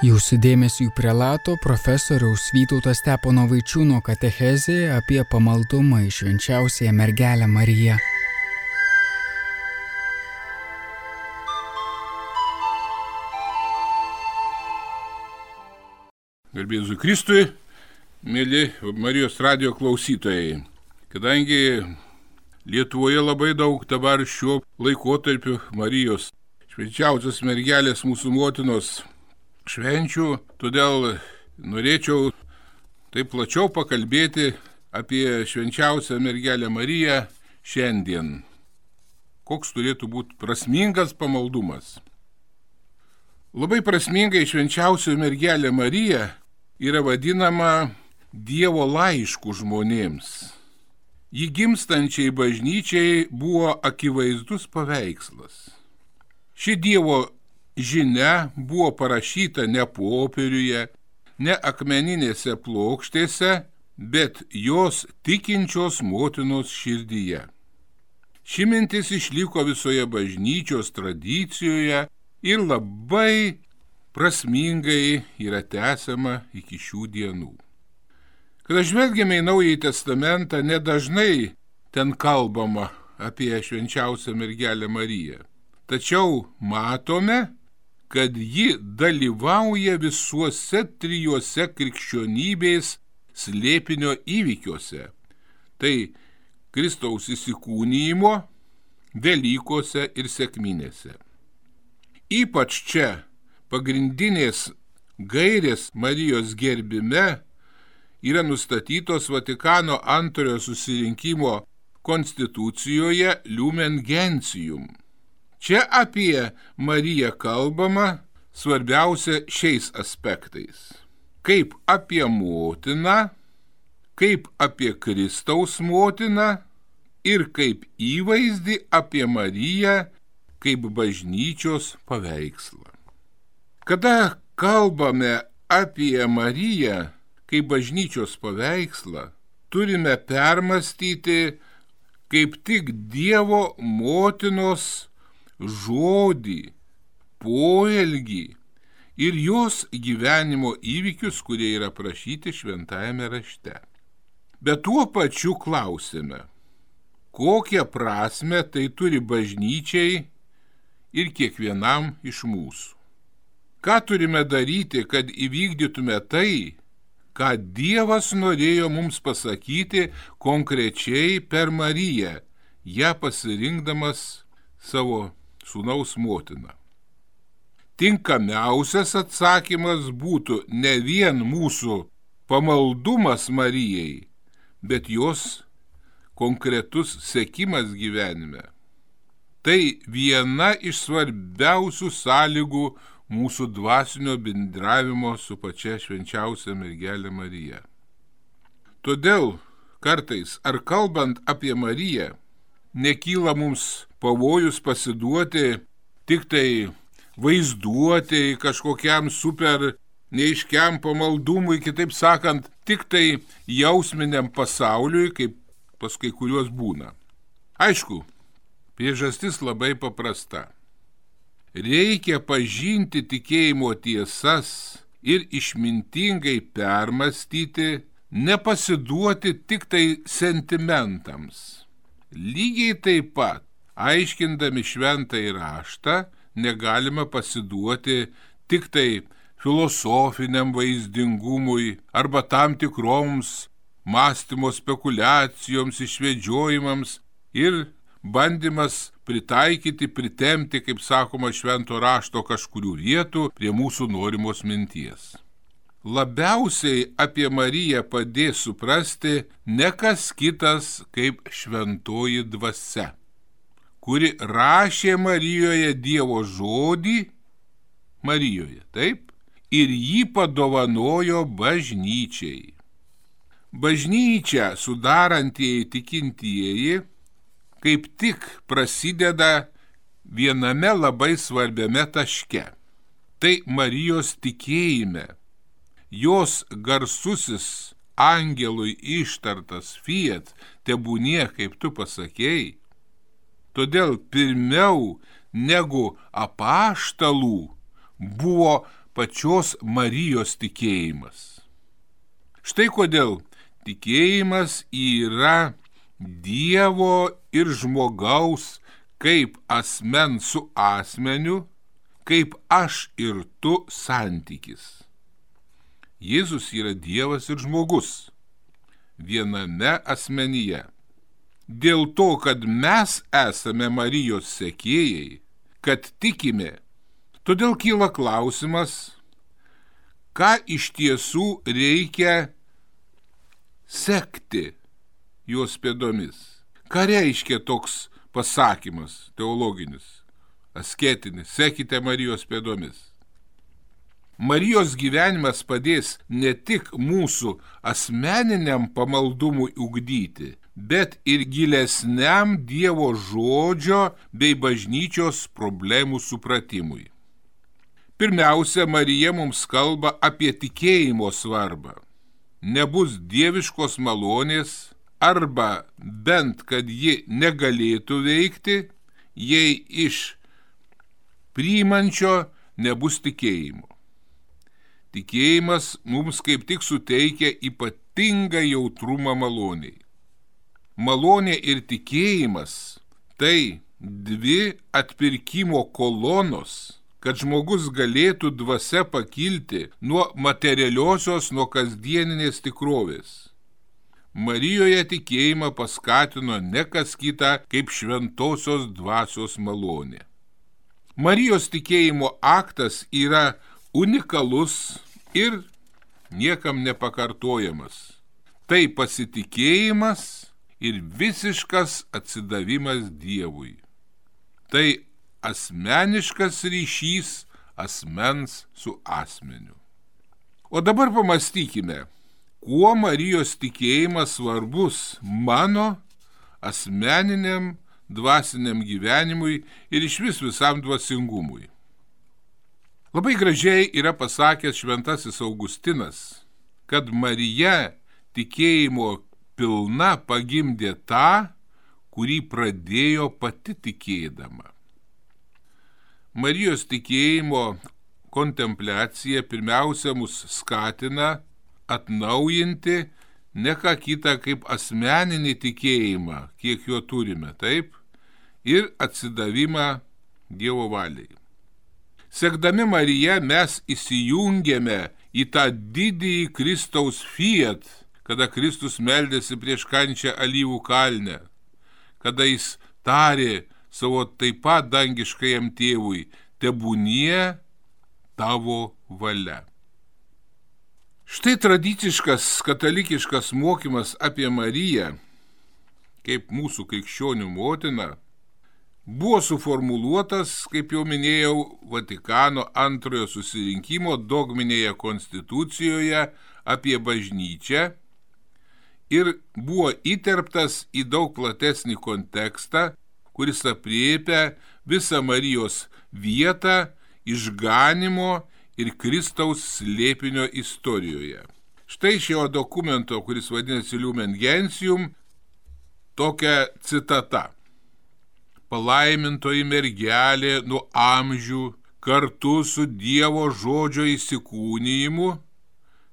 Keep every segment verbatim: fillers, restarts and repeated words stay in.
Jūsų dėmesiui prelato profesoriaus Vytauto Stepono Vaičiūno katechezė apie pamaldumą į švenčiausiąją mergelę Mariją. Garbė Jėzui Kristui, mėly Marijos radijo klausytojai. Kadangi Lietuvoje labai daug dabar šiuo laikotarpiu Marijos švenčiausios mergelės mūsų motinos švenčių, todėl norėčiau taip plačiau pakalbėti apie švenčiausią mergelę Mariją šiandien. Koks turėtų būti prasmingas pamaldumas? Labai prasmingai švenčiausioji mergelė Marija yra vadinama Dievo laišku žmonėms. Ji gimstančiai bažnyčiai buvo akivaizdus paveikslas. Ši Dievo žinia buvo parašyta ne popieriuje, ne akmeninėse plokštėse, bet jos tikinčios motinos širdyje. Ši mintis išliko visoje bažnyčios tradicijoje ir labai prasmingai yra tęsiama iki šių dienų. Kada žvelgiame į Naująjį Testamentą, nedažnai ten kalbama apie švenčiausią mergelę Mariją. Tačiau matome, kad ji dalyvauja visuose trijuose krikščionybės slėpinio įvykiuose. Tai Kristaus įsikūnijimo, Velykose ir sekminėse. Ypač čia pagrindinės gairės Marijos gerbime yra nustatytos Vatikano antrojo susirinkimo konstitucijoje Lumen Gentium. Čia apie Mariją kalbama svarbiausia šiais aspektais. Kaip apie motiną, kaip apie Kristaus motiną ir kaip įvaizdį apie Mariją kaip bažnyčios paveikslą. Kada kalbame apie Mariją kaip bažnyčios paveikslą, turime permastyti kaip tik Dievo motinos žodį, poelgį ir jos gyvenimo įvykius, kurie yra aprašyti šventajame rašte. Bet tuo pačiu klausime, kokią prasmę tai turi bažnyčiai ir kiekvienam iš mūsų. Ką turime daryti, kad įvykdytume tai, ką Dievas norėjo mums pasakyti konkrečiai per Mariją, ją pasirinkdamas savo sūnaus motiną. Tinkamiausias atsakymas būtų ne vien mūsų pamaldumas Marijai, bet jos konkretus sekimas gyvenime. Tai viena iš svarbiausių sąlygų mūsų dvasinio bendravimo su pačia švenčiausia mergelė Marija. Todėl kartais, ar kalbant apie Mariją, nekyla mums pavojus pasiduoti tik tai vaizduoti kažkokiam super neiškiam pamaldumui, kitaip sakant, tik tai jausminiam pasauliui, kaip pas kai kuriuos būna. Aišku, priežastis labai paprasta. Reikia pažinti tikėjimo tiesas ir išmintingai permastyti, nepasiduoti tik tai sentimentams. Lygiai taip pat, aiškindami šventąjį raštą, negalime pasiduoti tik tai filosofiniam vaizdingumui arba tam tikroms mąstymo spekulacijoms, išvedžiojimams ir bandymas pritaikyti, pritemti, kaip sakoma, švento rašto kažkurių vietų prie mūsų norimos minties. Labiausiai apie Mariją padės suprasti ne kas kitas kaip šventoji dvasia, kuri rašė Marijoje Dievo žodį, Marijoje, taip, ir jį padovanojo bažnyčiai. Bažnyčia sudarantieji tikintieji kaip tik prasideda viename labai svarbiame taške. Tai Marijos tikėjime. Jos garsusis angelui ištartas fiat tebūnie, kaip tu pasakėjai. Todėl pirmiau negu apaštalų buvo pačios Marijos tikėjimas. Štai kodėl tikėjimas yra Dievo ir žmogaus kaip asmens su asmeniu, kaip aš ir tu santykis. Jėzus yra Dievas ir žmogus viename asmenyje. Dėl to, kad mes esame Marijos sekėjai, kad tikime, todėl kyla klausimas, ką iš tiesų reikia sekti jos pėdomis. Ką reiškia toks pasakymas teologinis, asketinis, sekite Marijos pėdomis. Marijos gyvenimas padės ne tik mūsų asmeniniam pamaldumui ugdyti, bet ir gilesniam Dievo žodžio bei bažnyčios problemų supratimui. Pirmiausia, Marija mums kalba apie tikėjimo svarbą. Nebus dieviškos malonės, arba bent, kad ji negalėtų veikti, jei iš priimančio nebus tikėjimo. Tikėjimas mums kaip tik suteikia ypatingą jautrumą maloniai. Malonė ir tikėjimas – tai dvi atpirkimo kolonos, kad žmogus galėtų dvasia pakilti nuo materialiosios, nuo kasdieninės tikrovės. Marijoje tikėjimą paskatino ne kas kita kaip šventosios dvasios malonė. Marijos tikėjimo aktas yra unikalus ir niekam nepakartojamas. Tai pasitikėjimas ir visiškas atsidavimas Dievui. Tai asmeniškas ryšys asmens su asmeniu. O dabar pamastykime, kuo Marijos tikėjimas svarbus mano asmeniniam dvasiniam gyvenimui ir išvis visam dvasingumui. Labai gražiai yra pasakęs šventasis Augustinas, kad Marija tikėjimo pilna pagimdė tą, kurį pradėjo pati tikėdama. Marijos tikėjimo kontempliacija pirmiausia mus skatina atnaujinti ne ką kitą kaip asmeninį tikėjimą, kiek jo turime, taip, ir atsidavimą Dievo valiai. Sekdami Mariją mes įsijungėme į tą didįjį Kristaus fiat, kada Kristus meldėsi prieš kančią Alyvų kalne, kada jis tarė savo taip pat dangiškajam tėvui, tebūnie tavo valia. Štai tradiciškas katalikiškas mokymas apie Mariją, kaip mūsų krikščionių motiną, buvo suformuluotas, kaip jau minėjau, Vatikano antrojo susirinkimo dogminėje konstitucijoje apie bažnyčią ir buvo įterptas į daug platesnį kontekstą, kuris apriepia visą Marijos vietą išganimo ir Kristaus slėpinio istorijoje. Štai šio dokumento, kuris vadinasi Lumen Gentium, tokia citata. Palaimintoji mergelė nuo amžių kartu su Dievo žodžio įsikūnijimu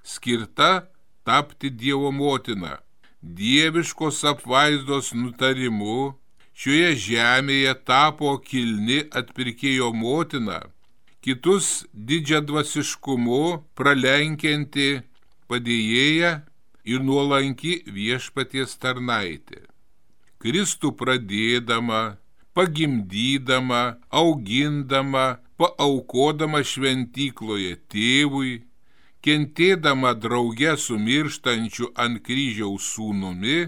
skirta tapti Dievo motina, dieviškos apvaizdos nutarimu šioje žemėje tapo kilni atpirkėjo motina, kitus didžiadvasiškumu pralenkianti padėjėja ir nuolanki viešpaties tarnaitė. Kristų pradėdama, pagimdydama, augindama, paaukodama šventykloje tėvui, kentėdama drauge su mirštančiu ant kryžiaus sūnumi,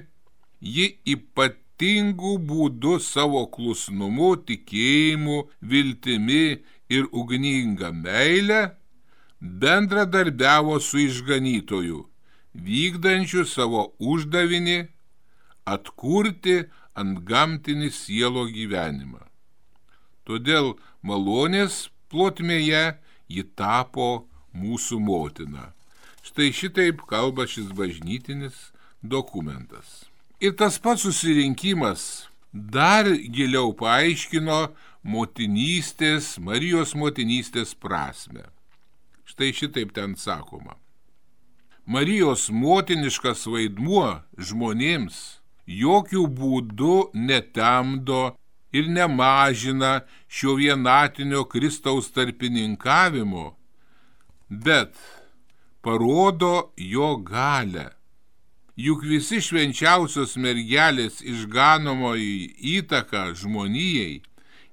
ji ypatingų būdų savo klusnumu, tikėjimu, viltimi ir ugninga meile bendradarbiavo su išganytoju, vykdančiu savo uždavinį atkurti antgamtinį sielo gyvenimą. Todėl malonės plotmėje ji tapo mūsų motina. Štai šitaip kalba šis bažnytinis dokumentas. Ir tas pats susirinkimas dar giliau paaiškino motinystės, Marijos motinystės prasmę. Štai šitaip ten sakoma. Marijos motiniškas vaidmuo žmonėms jokių būdų netemdo ir nemažina šio vienatinio Kristaus tarpininkavimo, bet parodo jo galę. Juk visi švenčiausios mergelės išganomoji įtaka žmonijai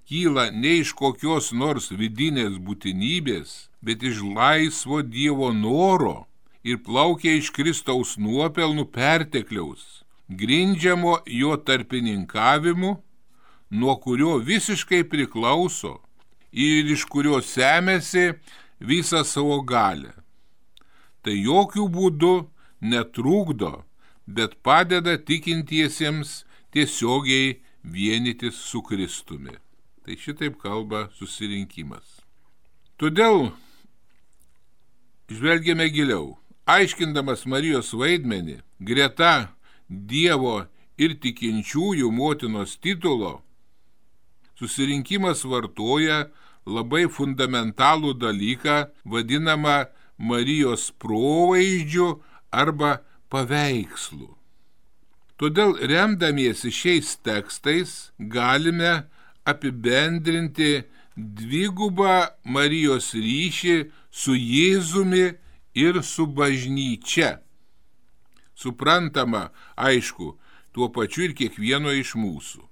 kyla ne iš kokios nors vidinės būtinybės, bet iš laisvo Dievo noro ir plaukia iš Kristaus nuopelnų pertekliaus, grindžiamo jo tarpininkavimu, nuo kurio visiškai priklauso ir iš kurio semėsi visą savo galę. Tai jokių būdų netrukdo, bet padeda tikintiesiems tiesiogiai vienytis su Kristumi. Tai šitaip kalba susirinkimas. Todėl žvelgiame giliau. Aiškindamas Marijos vaidmenį, greta Dievo ir tikinčiųjų motinos titulo, susirinkimas vartoja labai fundamentalų dalyką, vadinamą Marijos provaizdžiu arba paveikslu. Todėl remdamiesi šiais tekstais galime apibendrinti dvigubą Marijos ryšį su Jėzumi ir su bažnyčia. Suprantama, aišku, tuo pačiu ir kiekvieno iš mūsų.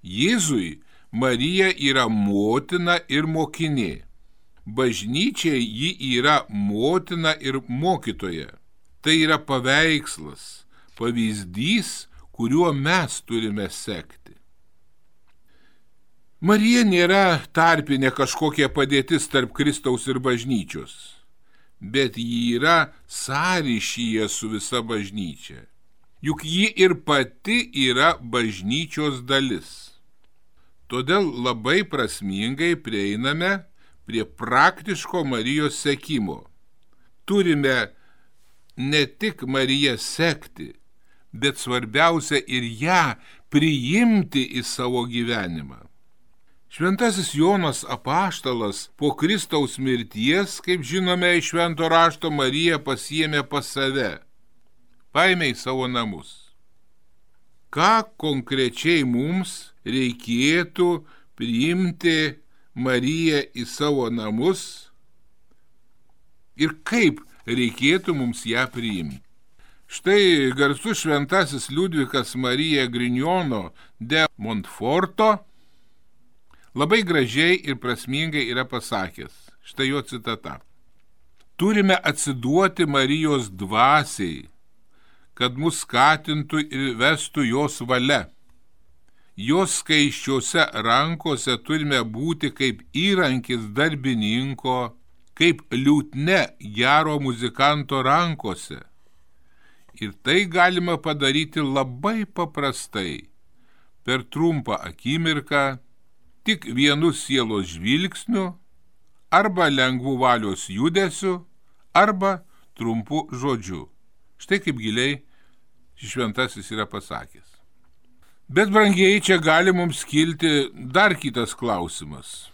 Jėzui Marija yra motina ir mokinė. Bažnyčiai ji yra motina ir mokytoja. Tai yra paveikslas, pavyzdys, kuriuo mes turime sekti. Marija nėra tarpinė kažkokia padėtis tarp Kristaus ir bažnyčios, bet ji yra sąryšyje su visa bažnyčia. Juk ji ir pati yra bažnyčios dalis. Todėl labai prasmingai prieiname prie praktiško Marijos sekimo. Turime ne tik Mariją sekti, bet svarbiausia ir ją priimti į savo gyvenimą. Šventasis Jonas Apaštalas po Kristaus mirties, kaip žinome iš Švento rašto, Mariją pasiėmė pas save, paėmė į savo namus. Ką konkrečiai mums reikėtų priimti Mariją į savo namus ir kaip reikėtų mums ją priimti? Štai garsus šventasis Liudvikas Marija Grignono de Montforto labai gražiai ir prasmingai yra pasakęs. Štai jo citata. Turime atsiduoti Marijos dvasiai, kad mus skatintų ir vestų jos valia. Jos skaisčiose rankose turime būti kaip įrankis darbininko, kaip liutne gero muzikanto rankose. Ir tai galima padaryti labai paprastai, per trumpą akimirką, tik vienu sielos žvilgsniu, arba lengvų valios judesiu, arba trumpu žodžiu. Štai kaip giliai šventasis yra pasakęs. Bet, brangieji, čia gali mums kilti dar kitas klausimas.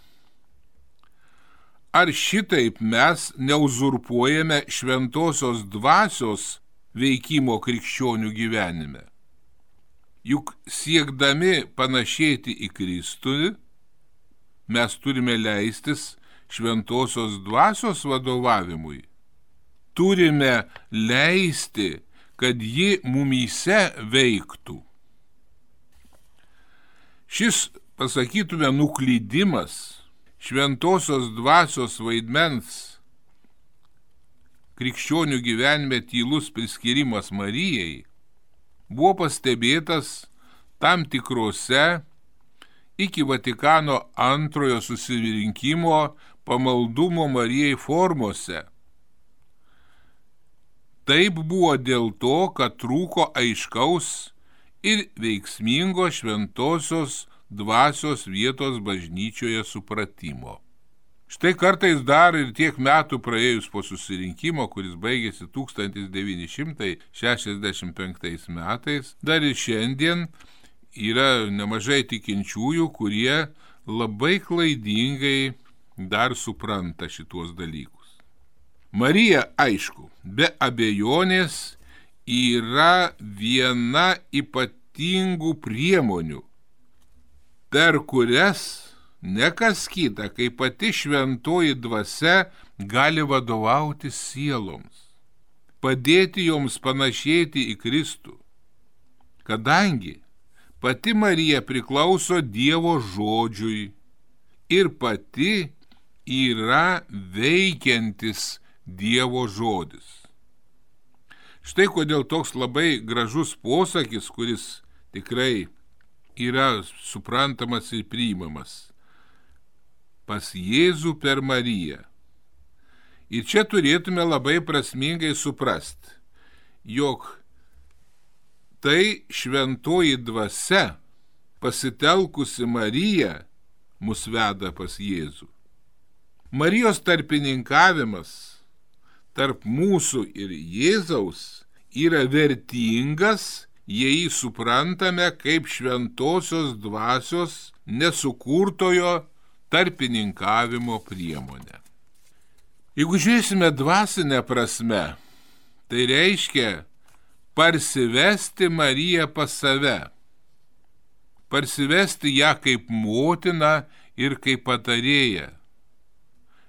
Ar šitaip mes neuzurpuojame šventosios dvasios veikimo krikščionių gyvenime? Juk siekdami panašėti į Kristų, mes turime leistis šventosios dvasios vadovavimui. Turime leisti, kad ji mumyse veiktų. Šis, pasakytume, nuklydimas, šventosios dvasios vaidmens krikščionių gyvenime tylus priskirimas Marijai, buvo pastebėtas tam tikrose iki Vatikano antrojo susirinkimo pamaldumo Marijai formose. Taip buvo dėl to, kad trūko aiškaus ir veiksmingo šventosios dvasios vietos bažnyčioje supratimo. Štai kartais dar ir tiek metų praėjus po susirinkimo, kuris baigėsi tūkstantis devyni šimtai šešiasdešimt penktais metais, dar ir šiandien yra nemažai tikinčiųjų, kurie labai klaidingai dar supranta šitos dalykus. Marija, aišku, be abejonės yra viena ypatingų priemonių, per kurias ne kas kita, kaip pati šventoji dvasia gali vadovauti sieloms, padėti joms panašėti į Kristų, kadangi pati Marija priklauso Dievo žodžiui ir pati yra veikiantis Dievo žodis. Štai kodėl toks labai gražus posakis, kuris tikrai yra suprantamas ir priimamas. Pas Jėzų per Mariją. Ir čia turėtume labai prasmingai suprasti, jog tai šventoji dvasia, pasitelkusi Mariją, mus veda pas Jėzų. Marijos tarpininkavimas tarp mūsų ir Jėzaus yra vertingas, jei suprantame kaip šventosios dvasios nesukurtojo tarpininkavimo priemonę. Jeigu žiūrėsime dvasinę prasme, tai reiškia parsivesti Mariją pas save, parsivesti ją kaip motiną ir kaip patarėją,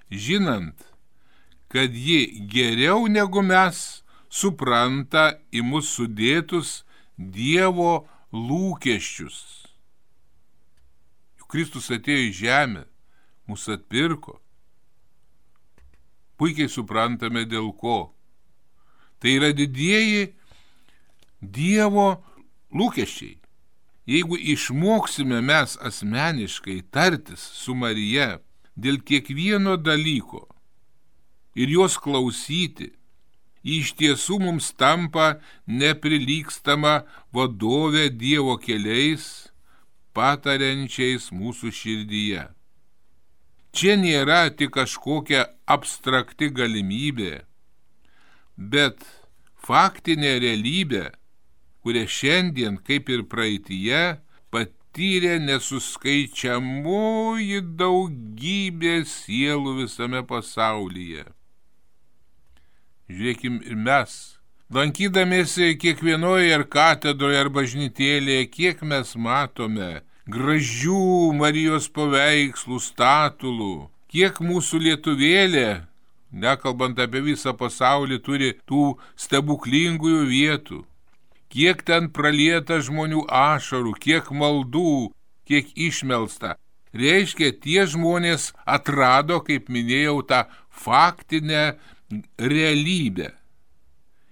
žinant, kad ji geriau negu mes supranta į mus sudėtus Dievo lūkesčius. Juk Kristus atėjo į žemę, mus atpirko. Puikiai suprantame dėl ko. Tai yra didieji Dievo lūkesčiai. Jeigu išmoksime mes asmeniškai tartis su Marija dėl kiekvieno dalyko ir jos klausyti, iš tiesų mums tampa neprilygstama vadovė Dievo keliais, patariančiais mūsų širdyje. Čia nėra tik kažkokia abstrakti galimybė, bet faktinė realybė, kurią šiandien, kaip ir praeityje, patyrė nesuskaičiamoji daugybė sielų visame pasaulyje. Žiūrėkim ir mes, lankydamiesi kiekvienoje ar katedroje ar bažnytėlėje, kiek mes matome gražių Marijos paveikslų, statulų, kiek mūsų lietuvėlė, nekalbant apie visą pasaulį, turi tų stebuklingųjų vietų, kiek ten pralieta žmonių ašarų, kiek maldų, kiek išmelsta. Reiškia, tie žmonės atrado, kaip minėjau, tą faktinę realybę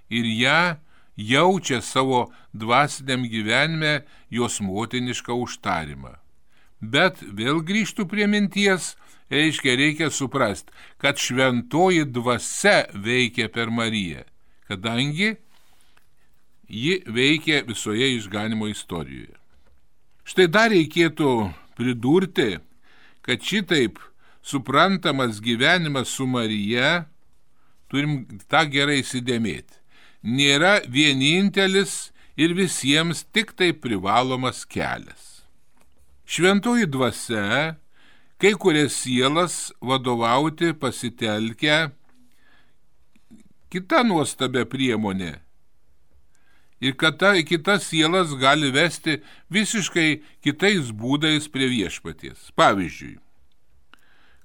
ir ją jaučia savo dvasiniam gyvenime jos motinišką užtarimą. Bet vėl grįžtų prie minties, reiškia, reikia suprasti, kad šventoji dvasia veikia per Mariją, kadangi ji veikia visoje išganimo istorijoje. Štai dar reikėtų pridurti, kad šitaip suprantamas gyvenimas su Marija, turim tą gerai įsidėmėti, nėra vienintelis ir visiems tik tai privalomas kelias. Šventoji dvasia kai kurias sielas vadovauti pasitelkia kita nuostabia priemonė. Ir kad ta kitas sielas gali vesti visiškai kitais būdais prie viešpaties. Pavyzdžiui,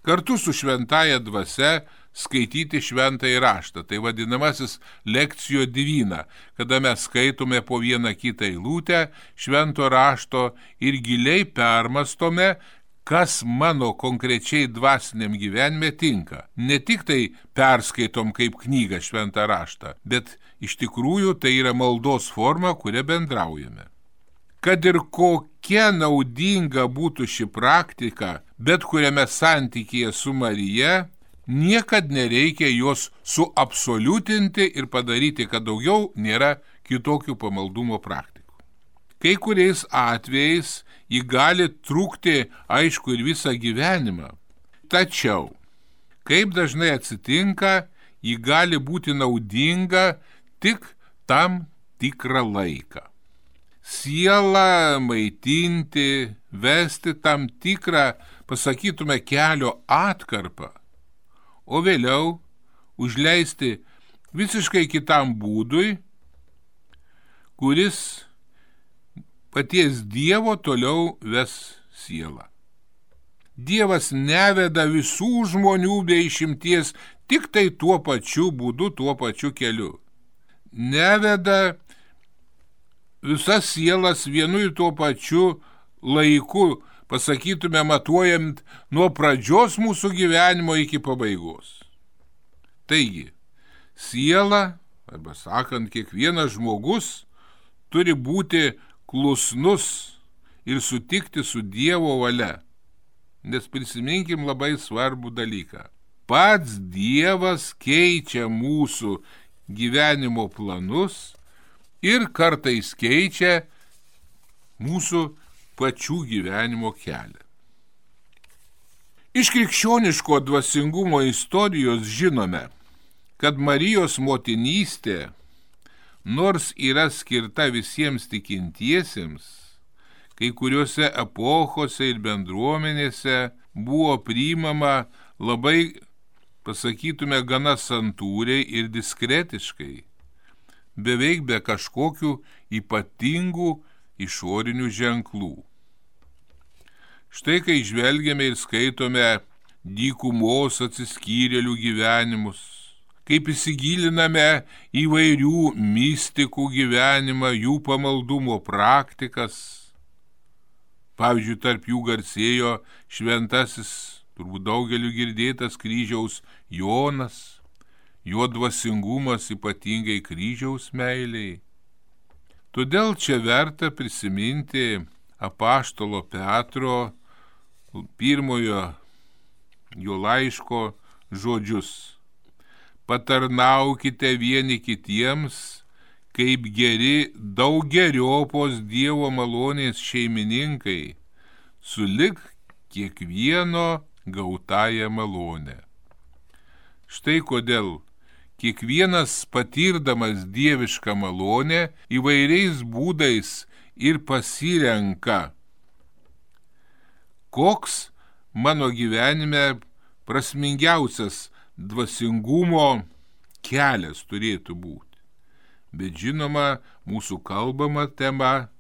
kartu su šventąja dvasia skaityti šventąjį raštą, tai vadinamasis lekcijo divina, kada mes skaitome po vieną kitą eilutę švento rašto ir giliai permastome, kas mano konkrečiai dvasiniam gyvenime tinka. Ne tik tai perskaitom kaip knygą šventą raštą, bet iš tikrųjų tai yra maldos forma, kuria bendraujame. Kad ir kokia naudinga būtų ši praktika, bet kuriame santykyje su Marija, niekad nereikia jos suabsoliutinti ir padaryti, kad daugiau nėra kitokių pamaldumo praktikų. Kai kuriais atvejais ji gali trukti, aišku, ir visą gyvenimą. Tačiau, kaip dažnai atsitinka, ji gali būti naudinga tik tam tikrą laiką. Sielą maitinti, vesti tam tikrą pasakytume, kelio atkarpą, o vėliau užleisti visiškai kitam būdui, kuris paties Dievo toliau ves sielą. Dievas neveda visų žmonių be išimties tik tai tuo pačiu būdu, tuo pačiu keliu. Neveda visas sielas vienu ir tuo pačiu laiku, pasakytume, matuojant nuo pradžios mūsų gyvenimo iki pabaigos. Taigi, siela, arba sakant, kiekvienas žmogus turi būti klusnus ir sutikti su Dievo valia. Nes prisiminkim labai svarbų dalyką. Pats Dievas keičia mūsų gyvenimo planus ir kartais keičia mūsų pačių gyvenimo kelią. Iš krikščioniško dvasingumo istorijos žinome, kad Marijos motinystė, nors yra skirta visiems tikintiesiems, kai kuriuose epochose ir bendruomenėse buvo priimama labai, pasakytume, gana santūriai ir diskretiškai, beveik be kažkokių ypatingų išorinių ženklų. Štai kai žvelgiame ir skaitome dykumos atsiskyrėlių gyvenimus, kaip įsigiliname įvairių mistikų gyvenimą, jų pamaldumo praktikas. Pavyzdžiui, tarp jų garsėjo šventasis, turbūt daugeliu girdėtas kryžiaus Jonas, jo dvasingumas ypatingai kryžiaus meiliai. Todėl čia verta prisiminti apaštalo Petro pirmojo jo laiško žodžius. Patarnaukite vieni kitiems, kaip geri daugeriopos Dievo malonės šeimininkai, sulig kiekvieno gautąją malonę. Štai kodėl kiekvienas patirdamas dievišką malonę įvairiais būdais ir pasirenka, koks mano gyvenime prasmingiausias dvasingumo kelias turėtų būti. Bet žinoma, mūsų kalbama tema,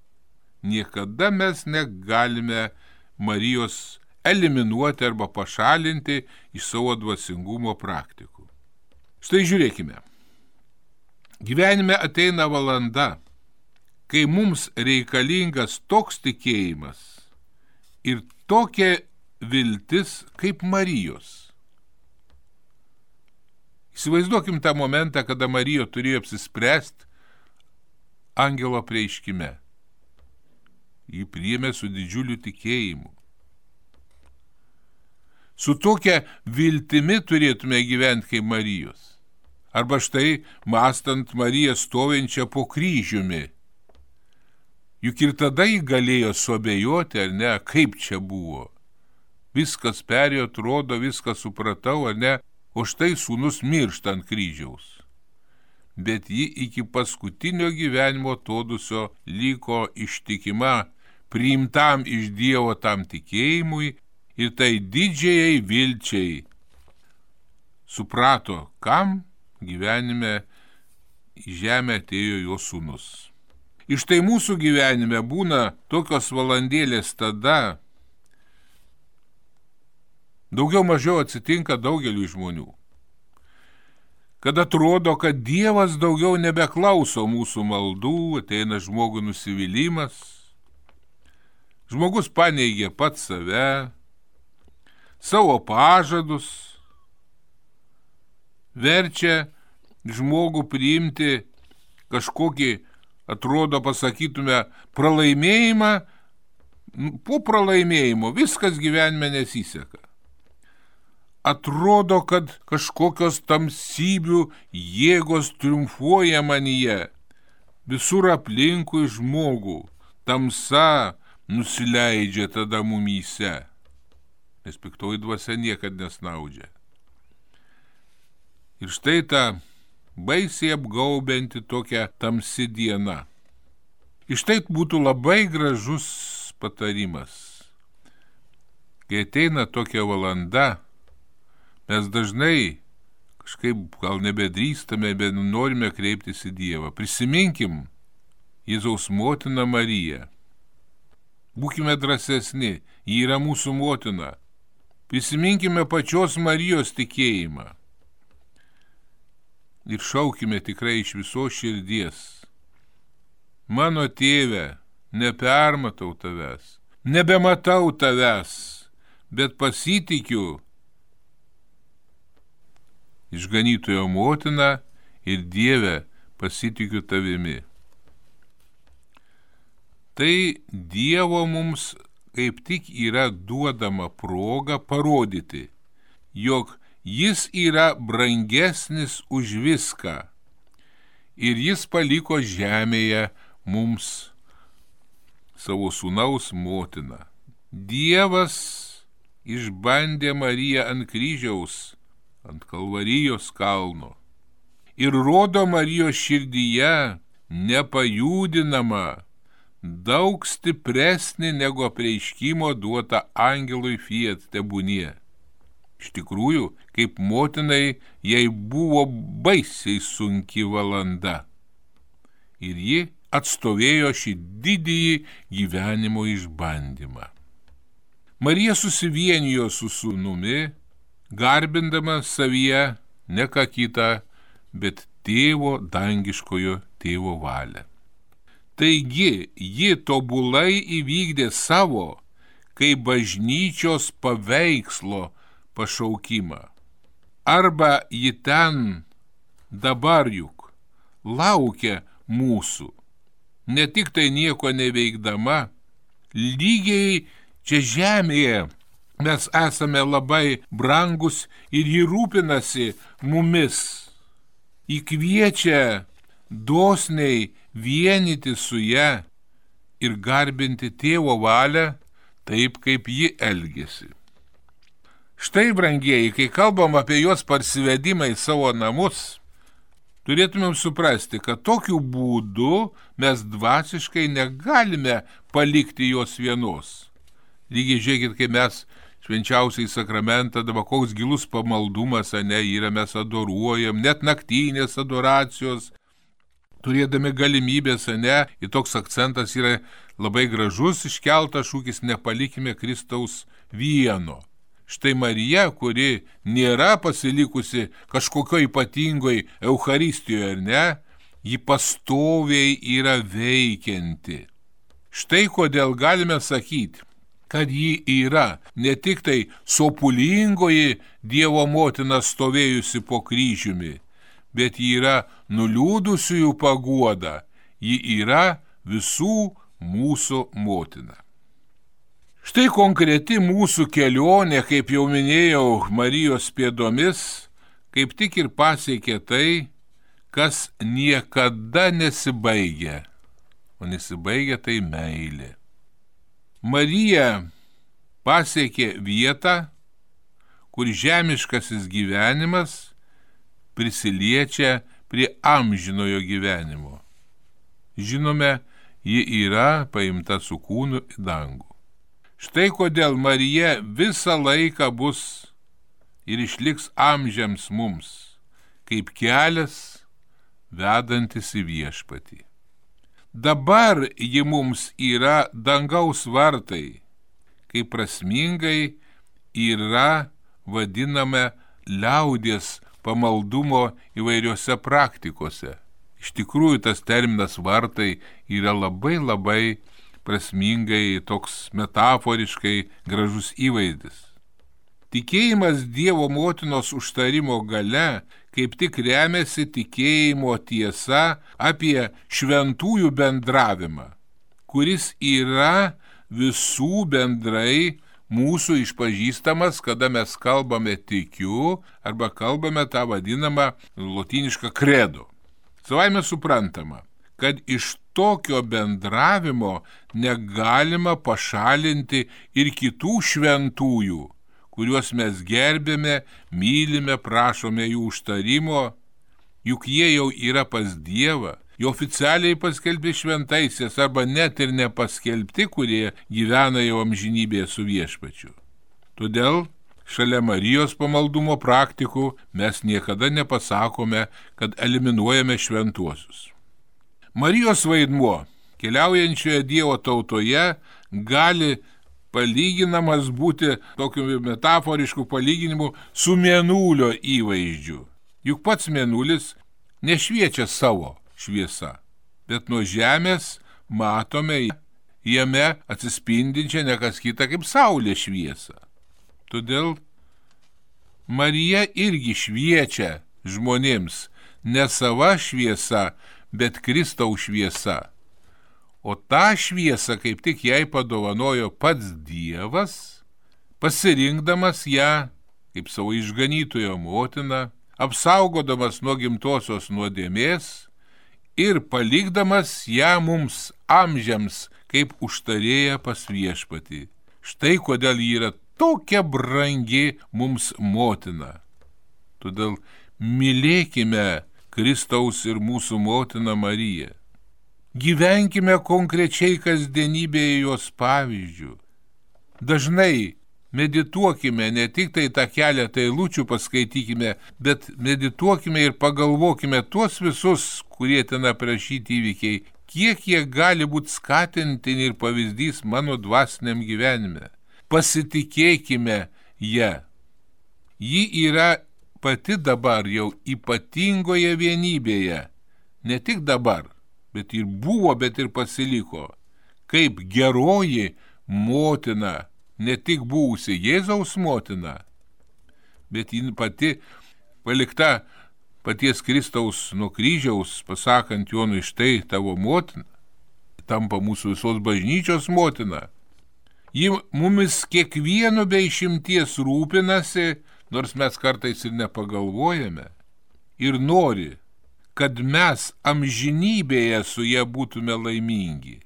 niekada mes negalime Marijos eliminuoti arba pašalinti iš savo dvasingumo praktikų. Štai žiūrėkime. Gyvenime ateina valanda, kai mums reikalingas toks tikėjimas ir tokia viltis kaip Marijos. Įsivaizduokim tą momentą, kada Marija turėjo apsispręsti angelo apreiškime. Jį priėmė su didžiuliu tikėjimu. Su tokia viltimi turėtume gyventi kaip Marijos. Arba štai, mąstant Mariją stovinčią po kryžiumi. Juk ir tada jį galėjo suabejoti, ar ne, kaip čia buvo. Viskas perėjo, atrodo, viską supratau, ar ne, o štai sūnus miršta ant kryžiaus. Bet ji iki paskutinio gyvenimo atodusio liko ištikima, priimtam iš Dievo tam tikėjimui ir tai didžiai vilčiai. Suprato, kam gyvenime į žemę atėjo jo sūnus. Ir štai mūsų gyvenime būna tokios valandėlės tada, daugiau mažiau atsitinka daugeliu žmonių, kad atrodo, kad Dievas daugiau nebeklauso mūsų maldų, ateina žmogų nusivylimas, žmogus paneigia pats save, savo pažadus, verčia žmogų priimti kažkokį, atrodo, pasakytume, pralaimėjimą, po pralaimėjimo viskas gyvenime nesiseka. Atrodo, kad kažkokios tamsybių jėgos triumfuoja manyje. Visur aplinkui žmogų tamsa nusileidžia tada mumyse, nes piktoji dvasia niekad nesnaudžia. Ir štai ta baisiai apgaubianti tokia tamsi diena. Ir štai būtų labai gražus patarimas. kai ateina tokia valanda, mes dažnai kažkaip gal nebedrįstame, bet norime kreiptis į Dievą. Prisiminkim Jėzaus motiną Mariją. Būkime drąsesni, ji yra mūsų motina. Prisiminkime pačios Marijos tikėjimą. Ir šaukime tikrai iš visos širdies. Mano tėve, nepermatau tavęs, nebematau tavęs, bet pasitikiu išganytojo motina ir Dieve, pasitikiu tavimi. Tai Dievo mums kaip tik yra duodama proga parodyti, jog jis yra brangesnis už viską ir jis paliko žemėje mums savo sūnaus motiną. Dievas išbandė Mariją ant kryžiaus, ant Kalvarijos kalno ir rodo Marijos širdyje nepajudinamą, daug stipresnį negu apreiškimo duota angelui fiat tebūnie. Iš tikrųjų, kaip motinai, jai buvo baisiai sunki valanda ir ji atstovėjo šį didįjį gyvenimo išbandymą. Marija susivienijo su sūnumi, garbindama savyje ne ką kitą, bet tėvo dangiškojo tėvo valią. Taigi, ji tobulai įvykdė savo, kaip bažnyčios paveikslo pašaukimą. Arba ji ten dabar juk laukia mūsų, ne tik tai nieko neveikdama, lygiai čia žemėje mes esame labai brangus ir ji rūpinasi mumis. Ji kviečia dosniai vienyti su ja ir garbinti tėvo valią taip, kaip ji elgėsi. Štai, brangieji, kai kalbam apie jos parsivedimą į savo namus, turėtumėm suprasti, kad tokiu būdu mes dvasiškai negalime palikti jos vienos. Lygiai žiūrėkit, kai mes švenčiausiai sakramentą, dabar koks gilus pamaldumas, ane, yra, mes adoruojam, net naktinės adoracijos, turėdami galimybės, ane, ir toks akcentas yra labai gražus iškeltas šūkis, nepalikime Kristaus vieno. Štai Marija, kuri nėra pasilikusi kažkokio ypatingoj Eucharistijoje, ar ne, ji pastoviai yra veikianti. Štai kodėl galime sakyti, kad ji yra ne tik tai sopulingoji Dievo motina stovėjusi po kryžiumi, bet ji yra nuliūdusiųjų paguoda, ji yra visų mūsų motina. Štai konkreti mūsų kelionė, kaip jau minėjau, Marijos pėdomis, kaip tik ir pasiekė tai, kas niekada nesibaigia, o nesibaigia tai meilė. Marija pasiekė vietą, kur žemiškasis gyvenimas prisiliečia prie amžinojo gyvenimo. Žinome, ji yra paimta su kūnu į dangų. Štai kodėl Marija visą laiką bus ir išliks amžiams mums, kaip kelias vedantis į viešpatį. Dabar ji mums yra dangaus vartai, kaip prasmingai yra vadiname liaudies pamaldumo įvairiose praktikose. Iš tikrųjų, tas terminas vartai yra labai labai prasmingai, toks metaforiškai gražus įvaizdis. Tikėjimas Dievo motinos užtarimo gale kaip tik remiasi tikėjimo tiesa apie šventųjų bendravimą, kuris yra visų bendrai mūsų išpažįstamas, kada mes kalbame tikiu arba kalbame tą vadinamą lotynišką credo. Savaime suprantama, kad iš tokio bendravimo negalima pašalinti ir kitų šventųjų, kuriuos mes gerbėme, mylime, prašome jų užtarimo, juk jie jau yra pas Dievą, jau oficialiai paskelbti šventaisiais arba net ir nepaskelbti, kurie gyvena jau amžinybėje su viešpačiu. Todėl šalia Marijos pamaldumo praktikų mes niekada nepasakome, kad eliminuojame šventuosius. Marijos vaidmuo keliaujančioje Dievo tautoje gali palyginamas būti tokiu metaforišku palyginimu su mėnulio įvaizdžiu. Juk pats mėnulis nešviečia savo šviesa, bet nuo žemės matome jame atsispindinčią ne kas kita kaip saulė šviesą. Todėl Marija irgi šviečia žmonėms ne sava šviesa, bet Kristaus šviesa. O tą šviesą kaip tik jai padovanojo pats Dievas, pasirinkdamas ją kaip savo išganytojo motiną, apsaugodamas nuo gimtosios nuodėmės ir palikdamas ją mums amžiams kaip užtarėja pas viešpatį. Štai kodėl ji yra tokia brangi mums motina. Todėl mylėkime Kristaus ir mūsų motiną Mariją. Gyvenkime konkrečiai kasdienybėje jos pavyzdžių. Dažnai medituokime, ne tik tai tą keletą eilučių paskaitykime, bet medituokime ir pagalvokime tuos visus, kurie ten aprašyti įvykiai, kiek jie gali būti skatintini ir pavyzdys mano dvasiniam gyvenime. Pasitikėkime ją. Ji yra pati dabar jau ypatingoje vienybėje, ne tik dabar, bet ir buvo, bet ir pasiliko, kaip geroji motina, ne tik buvusi Jėzaus motina, bet ji pati palikta paties Kristaus nuo kryžiaus, pasakant Jonui, štai tavo motina, tampa mūsų visos bažnyčios motina. Ji mumis kiekvienu be išimties rūpinasi, nors mes kartais ir nepagalvojame, ir nori, kad mes amžinybėje su ja būtume laimingi.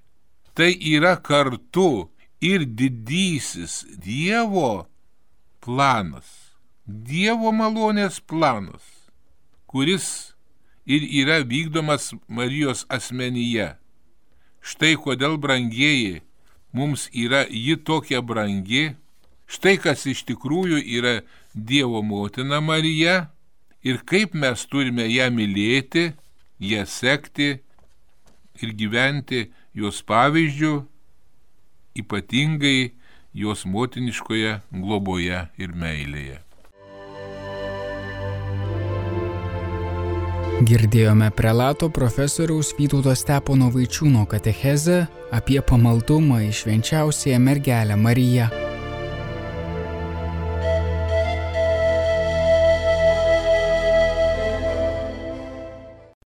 Tai yra kartu ir didysis Dievo planas, Dievo malonės planas, kuris ir yra vykdomas Marijos asmenyje. Štai kodėl, brangieji, mums yra ji tokia brangi, štai kas iš tikrųjų yra Dievo motina Marija ir kaip mes turime ją mylėti, ją sekti ir gyventi jos pavyzdžiu, ypatingai jos motiniškoje globoje ir meilėje. Girdėjome prelato profesoriaus Vytauto Stepono Vaičiūno katechezę apie pamaldumą į švenčiausiąją mergelę Mariją.